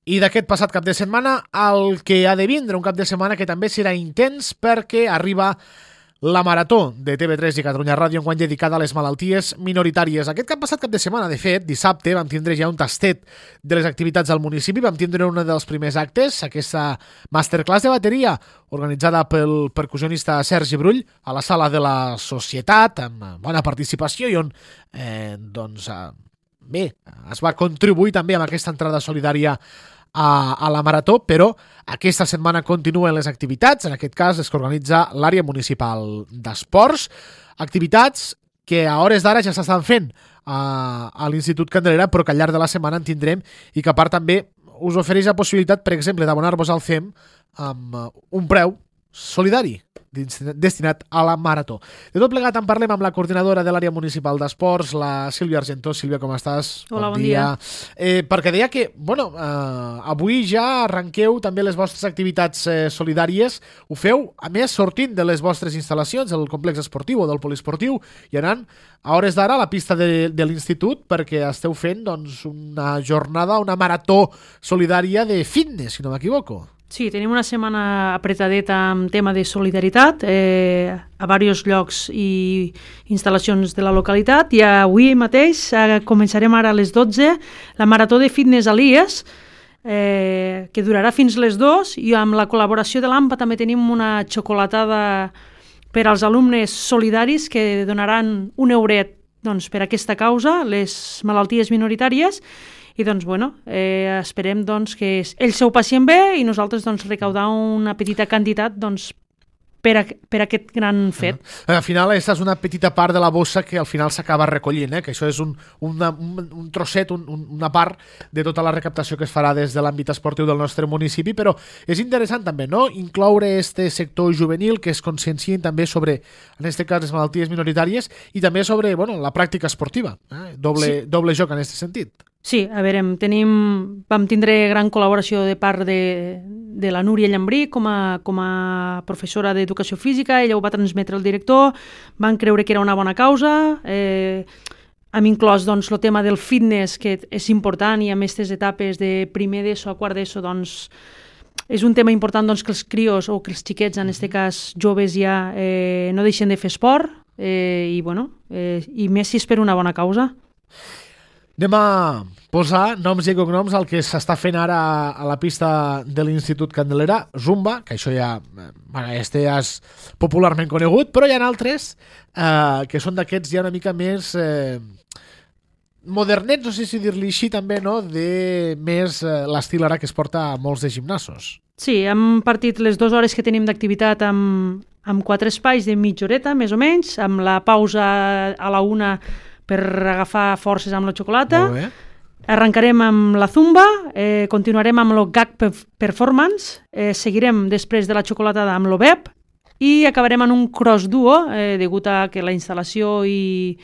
I d'aquest passat cap de setmana el que ha de vindre, un cap de setmana que també serà intens perquè arriba la Marató de TV3 i Catalunya Ràdio enguany dedicada a les malalties minoritàries. Aquest passat cap de setmana, de fet, dissabte, vam tindre ja un tastet de les activitats al municipi, vam tindre un dels primers actes, aquesta masterclass de bateria organitzada pel percussionista Sergi Brull a la sala de la Societat, amb bona participació i on es va contribuir també amb aquesta entrada solidària a la Marató, però aquesta setmana continuen les activitats, en aquest cas les que organitza l'àrea municipal d'esports, activitats que a hores d'ara ja s'estan fent a l'Institut Candelera, però que al llarg de la setmana en tindrem i que a part també us ofereix la possibilitat, per exemple, d'abonar-vos al CEM amb un preu solidari destinat a la Marató. De tot plegat en parlem amb la coordinadora de l'àrea municipal d'esports, la Sílvia Argentó. Sílvia, com estàs? Hola, bon dia. Perquè deia que, avui ja arrenqueu també les vostres activitats solidàries. Ho feu, a més, sortint de les vostres instal·lacions, del complex esportiu o del poliesportiu, i anant a hores d'ara a la pista de l'institut perquè esteu fent una jornada, una marató solidària de fitness, si no m'equivoco. Sí, tenim una setmana apretadeta amb tema de solidaritat a diversos llocs i instal·lacions de la localitat, i avui mateix començarem ara a les 12 la marató de fitness a l'IES, que durarà fins les 2, i amb la col·laboració de l'AMPA també tenim una xocolatada per als alumnes solidaris que donaran un euret per aquesta causa, les malalties minoritàries. I esperem que ells s'ho passin bé i nosaltres recaudar una petita quantitat per aquest gran fet. Al final, aquesta és una petita part de la bossa que al final s'acaba recollint, que això és un trosset, una part de tota la recaptació que es farà des de l'àmbit esportiu del nostre municipi, però és interessant també, no?, incloure este sector juvenil que es consciencien també sobre, en aquest cas, les malalties minoritàries i també sobre la pràctica esportiva. Doble joc en aquest sentit. Sí, a veure, vam tindre gran col·laboració de part de la Núria Llambrí com a professora d'educació física. Ella ho va transmetre al director, van creure que era una bona causa, hem inclòs el tema del fitness, que és important, i en aquestes etapes de primer d'ESO a quart d'ESO és un tema important que els crios o que els xiquets, en aquest cas joves ja, no deixen de fer esport, i més si és per una bona causa. Anem a posar noms i cognoms al que s'està fent ara a la pista de l'Institut Candelera, Zumba, que això ja és popularment conegut, però hi ha altres que són d'aquests ja una mica més modernets, no sé si dir-li així també, no?, de més l'estil ara que es porta a molts de gimnasos. Sí, hem partit les 2 hores que tenim d'activitat amb 4 espais de mitja horeta, més o menys, amb la pausa a la 1 per agafar forces amb la xocolata. Arrencarem amb la Zumba, continuarem amb el GAG Performance, seguirem després de la xocolatada amb l'OBEP i acabarem en un cross duo, degut a que la instal·lació i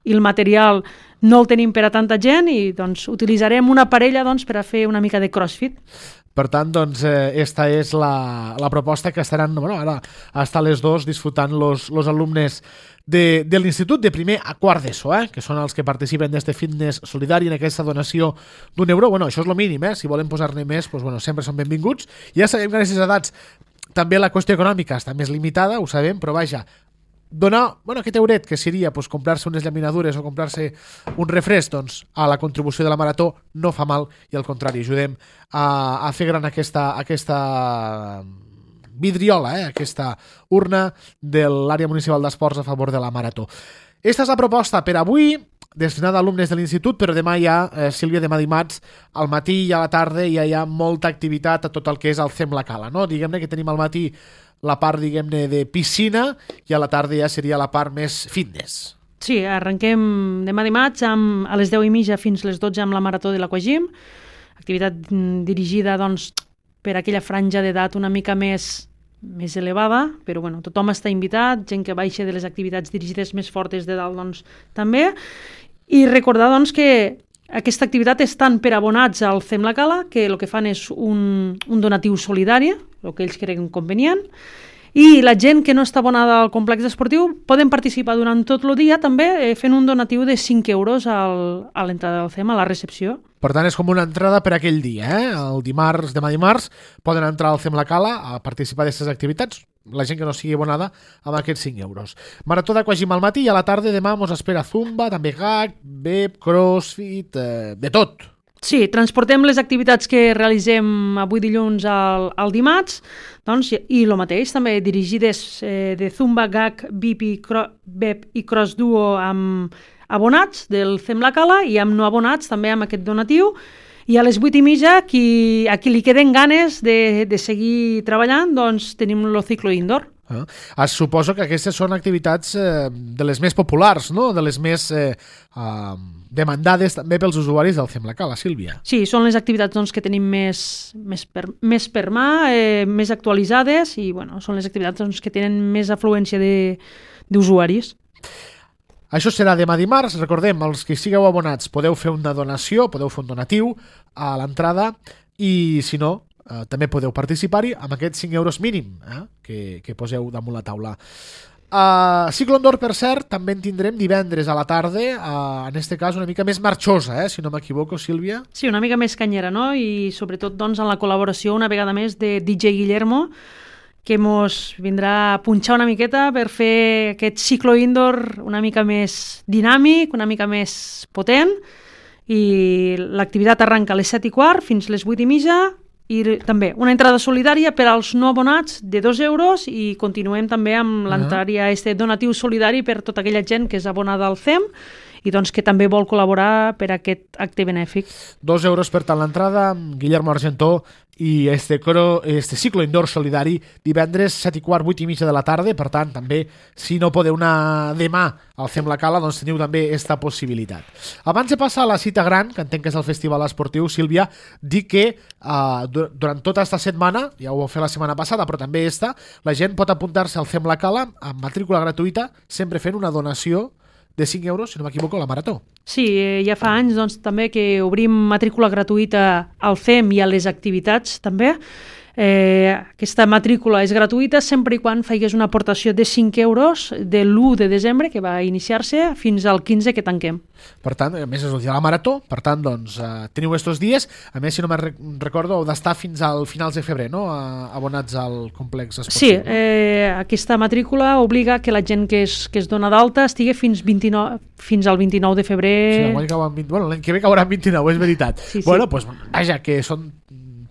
el material no el tenim per a tanta gent, i utilitzarem una parella per a fer una mica de crossfit. Per tant, esta és la proposta que estaran ara hasta les 2 disfrutant los alumnes de l'institut de primer a quart d'ESO, que són els que participen d'este fitness solidari en aquesta donació d'1 euro. Això és el mínim, si volen posar-ne més, sempre són benvinguts. Ja sabem que en aquestes edats també la qüestió econòmica està més limitada, ho sabem, però vaja, donar aquest euret, que seria comprar-se unes llaminadures o comprar-se un refresc, a la contribució de la Marató no fa mal, i al contrari, ajudem a fer gran aquesta vidriola, aquesta urna de l'àrea municipal d'esports a favor de la Marató. Aquesta és la proposta per avui, destinada a alumnes de l'institut, però demà ja, Sílvia, demà dimarts, al matí i a la tarda ja hi ha molta activitat a tot el que és el CEM La Cala, no? Diguem-ne que tenim al matí la part, diguem-ne, de piscina, i a la tarda ja seria la part més fitness. Sí, arrenquem demà dimarts a les 10:30 fins les 12 amb la Marató de l'Aquagym, activitat dirigida per aquella franja d'edat una mica més elevada, però tothom està invitat, gent que baixa de les activitats dirigides més fortes de dalt també, i recordar que aquesta activitat és tant per abonats al CEM La Cala, que el que fan és un donatiu solidari, el que ells creguen convenient, i la gent que no està abonada al complex esportiu poden participar durant tot el dia també fent un donatiu de 5 euros a l'entrada del CEM, a la recepció. Per tant, és com una entrada per aquell dia, El dimarts, demà dimarts, poden entrar al Fem la Cala a participar d'aquestes activitats, la gent que no sigui abonada amb aquests 5 euros. Marató d'Aquagym al matí i a la tarda demà mos espera zumba, també gag, bep, crossfit, de tot. Sí, transportem les activitats que realitzem avui dilluns al dimarts, doncs, i el mateix, també dirigides de zumba, gag, bep i cross duo amb abonats del Fem la Cala i amb no abonats també amb aquest donatiu. I a les 8:30, a qui li queden ganes de seguir treballant, doncs tenim el ciclo indoor. Suposo que aquestes són activitats de les més populars, no? De les més demandades també pels usuaris del Fem la Cala, Sílvia. Sí, són les activitats doncs, que tenim més per mà, més actualitzades i són les activitats doncs, que tenen més afluència d'usuaris. Això serà demà dimarts. Recordem, els que sigueu abonats podeu fer una donació, podeu fer un donatiu a l'entrada i, si no, també podeu participar-hi amb aquests 5 euros mínim que poseu damunt la taula. Ciclo Indoor, per cert, també en tindrem divendres a la tarda, en este cas una mica més marxosa, si no m'equivoco, Sílvia. Sí, una mica més canyera, no? I sobretot doncs, en la col·laboració una vegada més de DJ Guillermo, que mos vindrà a punxar una miqueta per fer aquest ciclo indoor una mica més dinàmic, una mica més potent, i l'activitat arranca a les 7:15 fins les 8:30, i també una entrada solidària per als no abonats de 2 euros i continuem també amb l'entrada donatiu solidari per tota aquella gent que és abonada al FEM i doncs que també vol col·laborar per aquest acte benèfic. 2 euros per tant l'entrada, Guillermo Argentó, i este ciclo indoor solidari divendres 7:15, 8:30 de la tarda. Per tant, també, si no podeu anar demà al Fem la Cala, doncs teniu també aquesta possibilitat. Abans de passar a la cita gran, que entenc que és el festival esportiu, Sílvia, dic que durant tota aquesta setmana, ja ho vau fer la setmana passada, però també la gent pot apuntar-se al Fem la Cala amb matrícula gratuïta, sempre fent una donació de 5 euros, si no m'equivoco, a la Marató. Sí, ja fa anys doncs, també que obrim matrícula gratuïta al FEM i a les activitats també. Aquesta matrícula és gratuïta sempre i quan faigués una aportació de 5 euros de l'1 de desembre, que va iniciar-se, fins al 15 que tanquem. Per tant, a més és el dia de la Marató, per tant, doncs, teniu estos dies. A més, si no me'n recordo, heu d'estar fins al finals de febrer, no?, abonats al complex esportiu. Sí, aquesta matrícula obliga que la gent que es dona d'alta estigui fins al 29 de febrer. Sí, l'any que ve caurà en 29, és veritat. Sí. Bueno, doncs, vaja, que són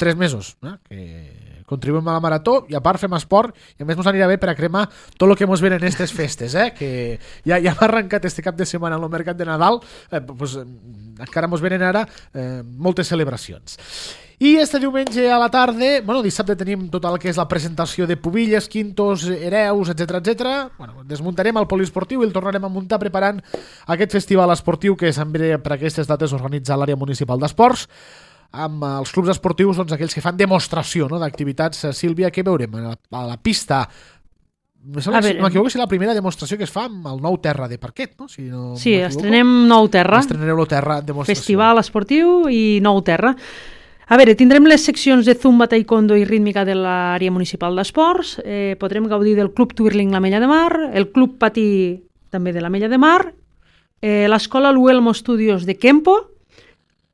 3 mesos, que contribuïm a la Marató i a part fem esport i a més ens anirà bé per a cremar tot el que ens venen aquestes festes, que ja hem arrencat este cap de setmana en el mercat de Nadal, doncs encara ens venen ara moltes celebracions. I este diumenge a la tarda, dissabte tenim tot el que és la presentació de pubilles, quintos, hereus, etc. Desmuntarem el poliesportiu i el tornarem a muntar preparant aquest festival esportiu que sempre per aquestes dates organitza l'àrea municipal d'esports, amb els clubs esportius, doncs, aquells que fan demostració, no?, d'activitats. Sílvia, què veurem? A la pista, no m'equivoco si la primera demostració que es fa amb el nou terra de parquet, no? Si no sí, estrenem nou terra. Estrenareu el terra en demostració. Festival esportiu i nou terra. A veure, tindrem les seccions de zumba, taekwondo i rítmica de l'àrea municipal d'esports, podrem gaudir del Club Twirling l'Ametlla de Mar, el Club Patí també de l'Ametlla de Mar, l'escola Luelmo Studios de Kempo,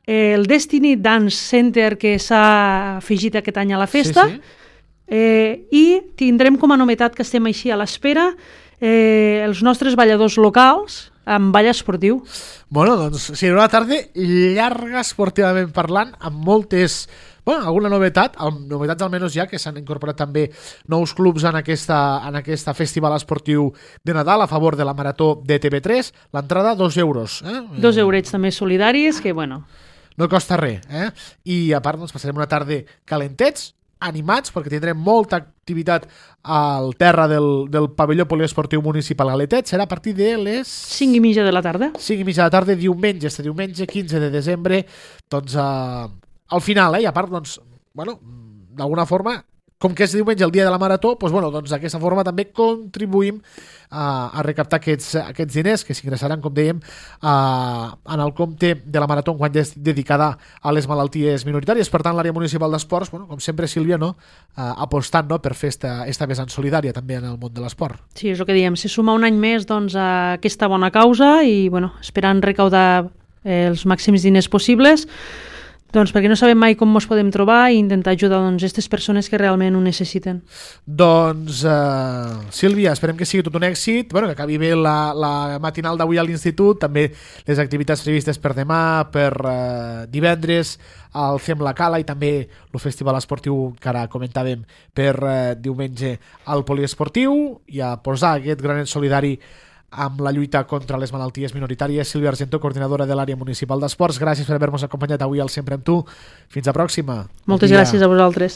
el Destiny Dance Center que s'ha afegit aquest any a la festa, i tindrem com a novetat que estem així a l'espera els nostres balladors locals amb ball esportiu. Doncs serà una tarda llarga esportivament parlant, amb moltes... alguna novetats almenys ja, que s'han incorporat també nous clubs en aquesta festival esportiu de Nadal a favor de la Marató de TV3. L'entrada, 2 euros. 2 eurets també solidaris, que no costa res, I a part doncs, passarem una tarda calentets, animats, perquè tindrem molta activitat al terra del pavelló poliesportiu municipal Galetet. Serà a partir de les 5:30 de la tarda. 5:30 de la tarda, diumenge, diumenge 15 de desembre, doncs al final, i a part, doncs, d'alguna forma, com que és diumenge el dia de la Marató, doncs d'aquesta forma també contribuïm a recaptar aquests diners que s'ingressaran, com dèiem, en el compte de la Marató enguany dedicada a les malalties minoritàries. Per tant, l'àrea municipal d'esports, com sempre, Sílvia, apostant per fer esta vessant solidària també en el món de l'esport. Sí, és el que diem, se suma un any més doncs, a aquesta bona causa i esperant recaudar els màxims diners possibles, doncs perquè no sabem mai com ens podem trobar i intentar ajudar aquestes persones que realment ho necessiten. Doncs, Sílvia, esperem que sigui tot un èxit, bueno, que acabi bé la matinal d'avui a l'Institut, també les activitats previstes per demà, per divendres, al Fem la Cala i també el festival esportiu que ara comentàvem per diumenge al poliesportiu i a posar aquest granet solidari amb la lluita contra les malalties minoritàries. Sílvia Argentó, coordinadora de l'àrea municipal d'esports, gràcies per haver-nos acompanyat avui al Sempre amb tu. Fins a pròxima. Moltes gràcies a vosaltres.